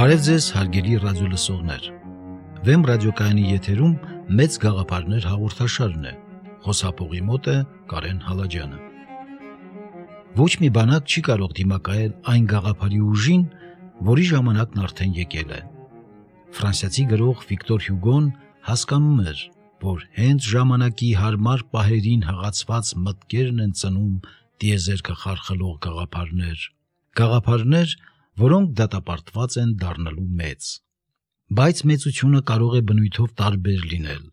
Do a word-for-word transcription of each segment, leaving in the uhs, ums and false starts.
Բարև ձեզ հարգելի ռադիոլսողներ։ Վեմ ռադիոկայանի եթերում մեծ գաղափարներ հաղորդաշարն է։ Խոսափողի մոտ է Կարեն Հալաջյանը։ Ոչ մի բանակ չի կարող դիմակայել այն գաղափարի ուժին, որի ժամանակն արդեն եկել է։ Ֆրանսիացի գրող Վիկտոր Հյուգոն հասկանում էր, որ հենց ժամանակի հարմար պահերին հղացված մտքերն են ծնում տիեզերքը խարխլող գաղափարներ, գաղափարներ, որոնք դատապարտված են դառնալու մեծ։ Բայց մեծությունը կարող է բնույթով տարբեր լինել՝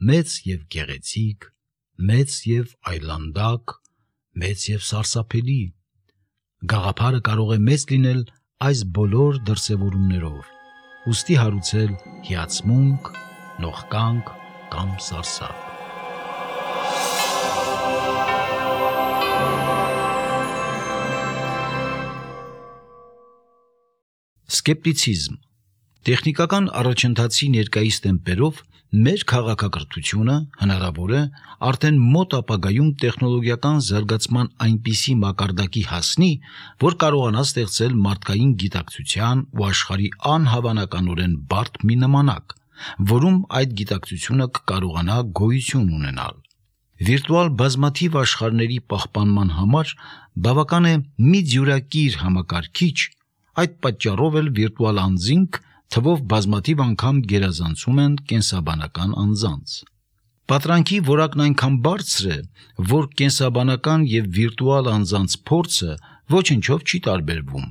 մեծ եւ գեղեցիկ, մեծ եւ այլանդակ, մեծ եւ սարսափելի։ Գաղափարը կարող է մեծ լինել այս բոլոր դրսևորումներով, ուստի հարուցել հիացմունք, նողկանք կամ սարսափ։ Սկեպտիցիզմ։ Տեխնիկական առաջընթացի ներկայիս տեմպերով մեր քաղաքակրթությունը հնարավոր է արդեն մոտ ապագայում տեխնոլոգիական զարգացման այնպիսի մակարդակի հասնի, որ կարողանա ստեղծել մարդկային գիտակցության ու աշխարհի անհավանականորեն բարդ մի նմանակ, որում այդ գիտակցությունը կկարողանա գոյություն ունենալ։ Վիրտուալ բազմաթիվ աշխարհների պահպանման համար բավական է մի դյուրակիր համակարգիչ, այդ պատճառով էլ վիրտուալ անձինք թվով բազմաթիվ անգամ գերազանցում են կենսաբանական անձանց։ Պատրանքի որակն այնքան բարձր է, որ կենսաբանական եւ վիրտուալ անձանց փորձը ոչնչով չի տարբերվում։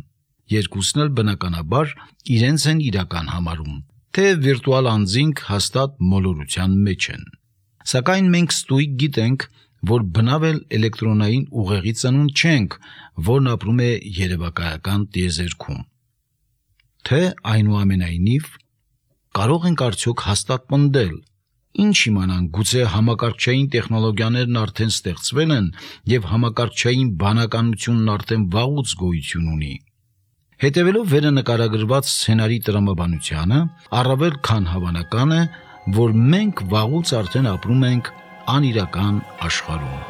Երկուսն էլ բնականաբար իրենց են իրական համարում, թե վիրտուալ անձինք հաստատ մոլորության մեջ են։ Սակայն մենք ստույգ գիտենք, որ բնավ էլ էլեկտրոնային ուղեղի ծնունդ չենք, որն ապրում է երևակայական տիեզերքում։ Թե այնուամենայնիվ կարող ենք արդյոք հաստատ պնդել, ինչ իմանանք, գուցե համակարգչային տեխնոլոգիաներն արդեն ստեղծվել են եւ համակարգչային բանականությունն արդեն վաղուց գոյություն ունի։ Հետևելով վերը նկարագրված սցենարի տրամաբանությանը, առավել քան հավանական է, որ մենք վաղուց արդեն ապրում ենք անիրական աշխարհում։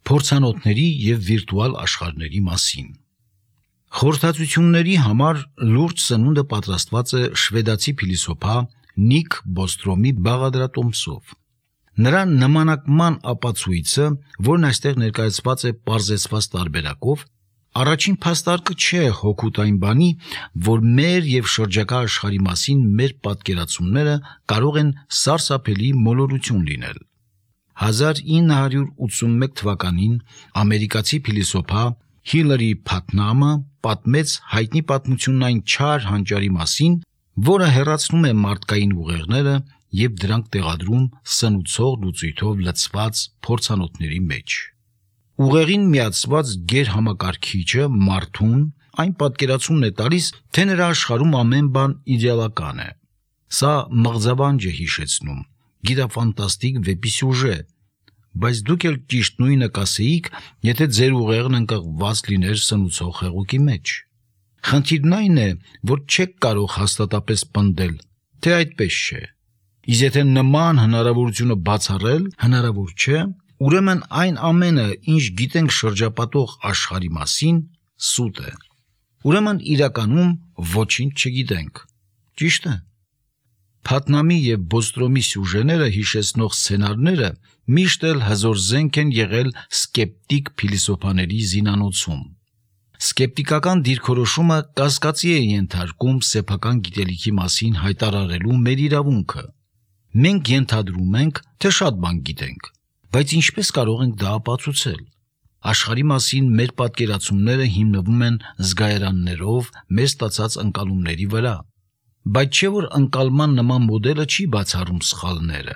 Փորձանոթների եւ վիրտուալ աշխարհների մասին։ Խորհրդածությունների համար լուրջ սնունդը պատրաստված է շվեդացի փիլիսոփա Նիկ Բոստրոմի բաղադրատոմսով։ Նրա նմանակման ապացույցը, որն այստեղ ներկայացված է պարզեցված տարբերակով, առաջին փաստարկը չէ հօգուտ այն բանի, որ մեր եւ շրջակա աշխարհի մասին մեր պատկերացումները կարող են սարսափելի մոլորություն լինել։ հազար ինը հարյուր ութսունմեկ թվականին ամերիկացի փիլիսոփա Հիլարի Փաթնամը պատմեց հայտնի պատմությունն այն չար հանճարի մասին, որը հեռացնում է մարդկային ուղեղները եւ դրանք տեղադրում սնուցող լուծույթով լցված փորձանոթների մեջ։ Ուղեղին միացված գերհամակարգիչը մարդուն այն պատկերացումն է տալիս, թե նրա աշխարհում ամեն բան իդեալական է։ Սա մղձավանջ է հիշեցնում, գիտաֆանտաստիկ վեպի սյուժե, բայց դուք էլ ճիշտ նույնը կասեիք, եթե ձեր ուղեղն ընկղված լիներ սնուցող հեղուկի մեջ։ Խնդիրն այն է, որ չեք կարող հաստատապես պնդել, թե այդպես չէ։ Իսկ եթե նման հնարավորությունը բացառել հնարավոր չէ, ուրեմն այն ամենը, ինչ գիտենք շրջապատող աշխարհի մասին, սուտ է։ Ուրեմն իրականում ոչինչ չգիտենք։ Ճիշտ է։ Փաթնամի եւ Բոստրոմի սյուժեները հիշեցնող սցենարները միշտ էլ հզոր զենք են եղել սկեպտիկ փիլիսոփաների զինանոցում։ Սկեպտիկական դիրքորոշումը կասկածի է ենթարկում սեփական գիտելիքի մասին հայտարարելու մեր իրավունքը։ Մենք ենթադրում ենք, թե շատ բան գիտենք, բայց ինչպես կարող ենք դա ապացուցել։ Աշխարհի մասին մեր պատկերացումները հիմնվում են զգայարաններով մեր ստացած ընկալումների վրա, բայց չէ որ ընկալման նման մոդելը չի բացառում սխալները։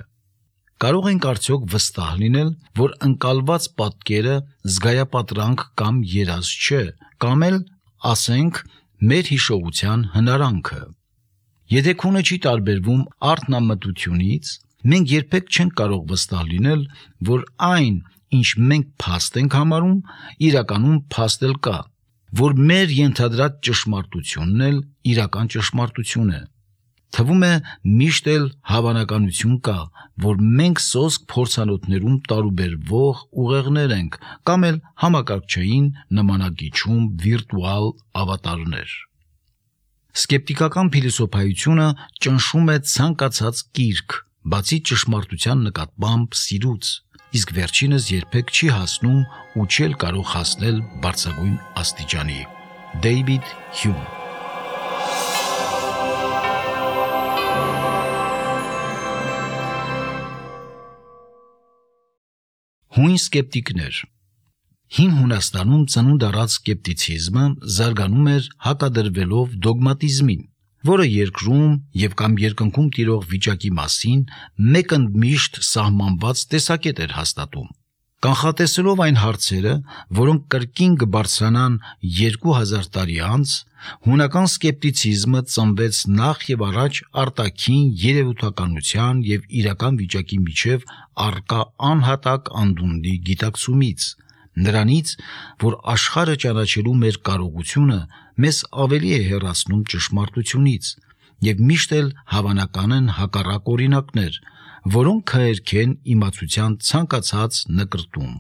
Կարող ենք արդյոք վստահ լինել, որ ընկալված պատկերը զգայապատրանք կամ երազ չէ, կամ էլ, ասենք, մեր հիշողության հնարանքը։ Եթե քունը չի տարբերվում արթնամտությունից, մենք երբեք չենք կարող վստահ լինել, որ այն, ինչ մենք փաստ ենք համարում, իրականում փաստ էլ կա, որ մեր ենթադրած ճշմարտությունն էլ իրական ճշմարտություն է։ Թվում է միշտ էլ հավանականություն կա, որ մենք սոսկ փորձանոթներում տարուբերվող ուղեղներ ենք կամ էլ համակարգչային նմանակիչում վիրտուալ ավատարներ։ Սկեպտիկական փիլիսոփայությունը ճնշում է ցանկացած կիրք, բացի ճշմարտության նկատմամբ սիրուց, իսկ վերջինս երբեք չի հասնում ու չի էլ կարող հասնել բարձրագույն աստիճանի։ Դեյվիդ Հյում։ Հույն սկեպտիկներ։ Հին Հունաստանում ծնունդ առած սկեպտիցիզմը զարգանում էր հակադրվելով դոգմատիզմին, որը երկրում եւ կամ երկնքում տիրող վիճակի մասին մեկընդմիշտ սահմանված տեսակետ էր հաստատում։ Կանխատեսելով այն հարցերը, որոնք կրկին կբարձրանան երկու հազար տարի անց, հունական սկեպտիցիզմը ծնվեց նախ եւ առաջ արտաքին երևութականության եւ իրական վիճակի միջև առկա անհատակ անդունդի գիտակցումից, նրանից, որ աշխարհը ճանաչելու մեր կարողությունը մեզ ավելի է հեռացնում ճշմարտությունից, եւ միշտ էլ հավանական են հակառակ օրինակներ, որոնք քայքեն իմացության ցանկացած նկրտում։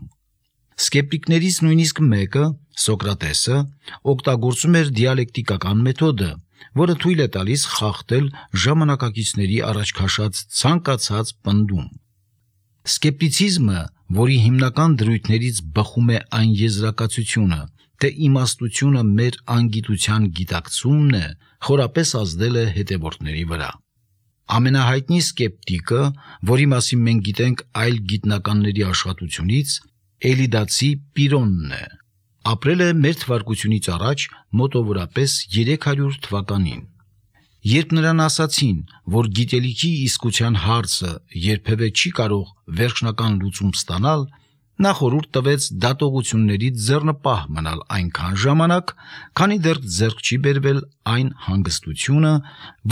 Սկեպտիկներից նույնիսկ մեկը, Սոկրատեսը, օգտագործում էր դիալեկտիկական մեթոդը, որը թույլ է տալիս խախտել ժամանակակիցների առաջ քաշած ցանկացած պնդում։ Սկեպտիցիզմը, որի հիմնական դրույթներից բխում է այն եզրակացությունը, թե իմաստությունը մեր անգիտության գիտակցումն է, խորապես ազդել է հետևորդների վրա։ Ամենահայտնի սկեպտիկը, որի մասին մենք գիտենք այլ գիտնականների աշխատությունից, Էլիդացի Պիրոնն է։ Ապրել է մեր թվարկությունից առաջ մոտավորապես երեք հարյուր թվականին։ Երբ նրան ասացին, որ գիտելիքի իսկության հարցը երբևէ չի կարող վերջնական լուծում ստանալ, նա խորհուրդ տվեց դատողություններից ձեռնպահ մնալ այնքան ժամանակ, քանի դեռ ձեռք չի բերվել այն հանգստությունը,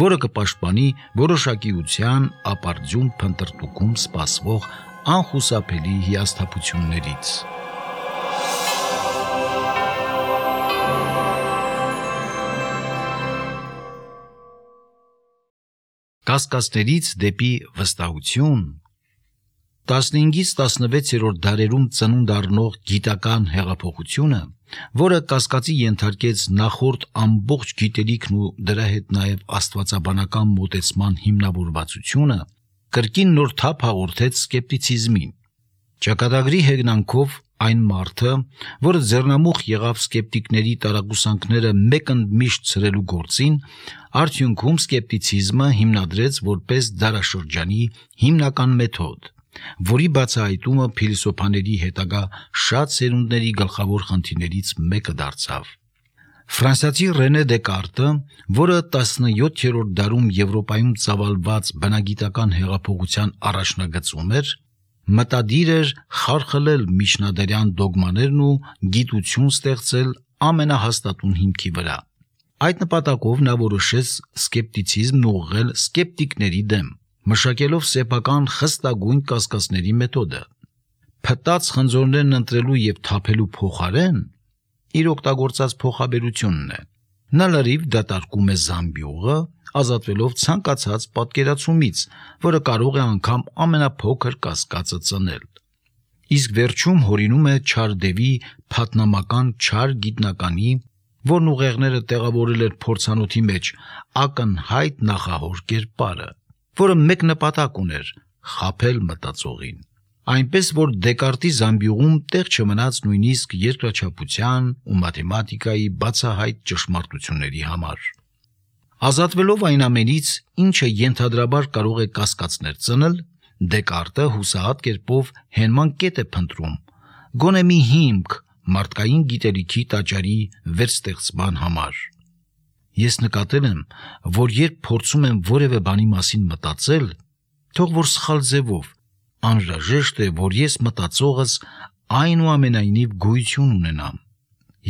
որը կպաշտպանի որոշակիության ապարդյուն փնտրտուքում սպասվող անխուսափելի հիասթափություններից։ Կասկածներից դեպի վստահություն։ տասնհինգից տասնվեցերորդ դարերում ծնունդ առնող գիտական հեղափոխությունը, որը կասկածի ենթարկեց նախորդ ամբողջ գիտելիքն ու դրա հետ նաև աստվածաբանական մոտեցման հիմնավորվածությունը, կրկին նոր թափ հաղորդեց սկեպտիցիզմին։ Ճակատագրի հեգնանքով այն մարդը, որը ձեռնամուխ եղավ սկեպտիկների տարակուսանքները մեկընդմիշտ ցրելու գործին, արդյունքում սկեպտիցիզմը հիմնադրեց որպես դարաշրջանի հիմնական մեթոդ, որի բացահայտումը փիլիսոփաների հետագա շատ սերունդների գլխավոր խնդիրներից մեկը դարձավ։ Ֆրանսիացի Ռենե Դեկարտը, որը տասնյոթերորդ դարում Եվրոպայում ծավալված բնագիտական հեղափոխության առաջնագծում էր, մտադիր էր խարխլել միջնադարյան դոգմաներն ու գիտություն ստեղծել ամենահաստատուն հիմքի վրա։ Այդ նպատակով նա որոշեց սկեպտիցիզմն ուղղել սկեպտիկների դեմ, մշակելով սեփական խստագույն կասկածների մեթոդը։ Փտած խնձորներն ընտրելու եւ թափելու փոխարեն իր օգտագործած փոխաբերությունն է։ Նա լրիվ դատարկում է զամբյուղը, ազատվելով ցանկացած պատկերացումից, որը կարող է անգամ ամենափոքր կասկածը ծնել։ Իսկ վերջում հորինում է Չարդևի փաթնամական չար գիտնականի, որն ուղեղները տեղավորել էր փորձանոթի մեջ ակնհայտ նախահոր կերպարը, որը մեկ նպատակ ուներ՝ խաբել մտածողին։ Այնպես որ Դեկարտի զամբյուղում տեղ չմնաց նույնիսկ երկրաչափության ու մաթեմատիկայի բացահայտ ճշմարտությունների համար։ Ազատվելով այն ամենից, ինչը ենթադրաբար կարող է կասկածներ ծնել, Դեկարտը հուսահատ կերպով հենման կետ է փնտրում, գոնե մի հիմք մարդկային գիտելիքի տաճարի վերստեղծման համար։ Ես նկատել եմ, որ երբ փորձում եմ որևէ բանի մասին մտածել, թող որ սխալ ձևով, անհրաժեշտ է, որ ես մտածողս այնուամենայնիվ գոյություն ունենամ։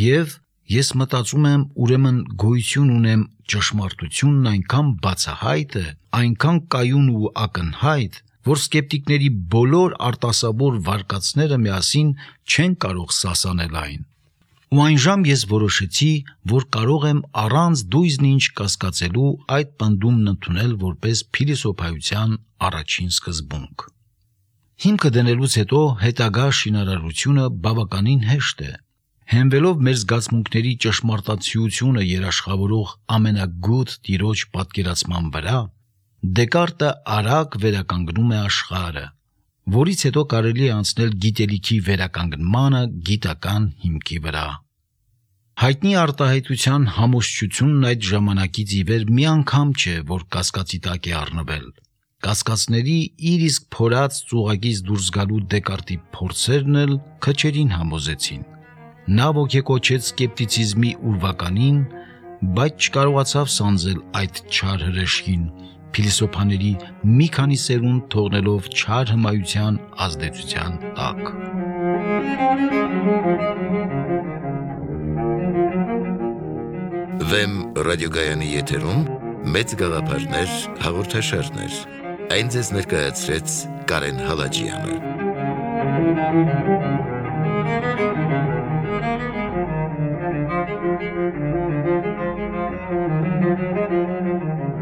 Եվ ես մտածում եմ, ուրեմն գոյություն ունեմ ճշմարտությունն այնքան բացահայտ է, այնքան կայուն ու ակնհայտ, որ սկեպտիկների բոլոր արտասաբոր վարկածները միասին չեն կարող սասանել այն։ Ու այն ժամ ես որոշեցի, որ կարող եմ առանց դույզն ինչ կասկածելու այդ պնդումն ընդունել որպես փիլիսոփայության առաջին սկզբունք։ Հիմքը դնելուց հետո հետագա շինարարությունը բավականին հեշտ է։ Հենվելով մեր զգացմունքների ճշմարտացիությունը երաշխավորող ամենագութ տիրոջ պատկերացման վրա, Դեկարտը արագ վերականգնում է աշխարհը, որից հետո կարելի է անցնել գիտելիքի վերականգնմանը գիտական հիմքի վրա։ Հայտնի արտահայտության համոզչությունն այդ ժամանակից ի վեր մի անգամ չէ, որ կասկածի տակ է առնվել։ Կասկածների իր իսկ փորած ծուղակից դուրս գալու Դեկարտի փորձերն էլ քչերին համոզեցին։ Նա ոգեկոչեց սկեպտիցիզմի ուրվականին, բայց չկարողացավ սանձել այդ չար հրեշին, փիլիսոփաների մի քանի սերունդ թողնելով չար հմայության ազդեցության տակ։ Վեմ ռադիոգայանի եթերում մեծ գաղափարներ հաղորդաշարներ։ Այն ձեզ ներկայացրեց Կարեն Հալաջյանը։ Thank you.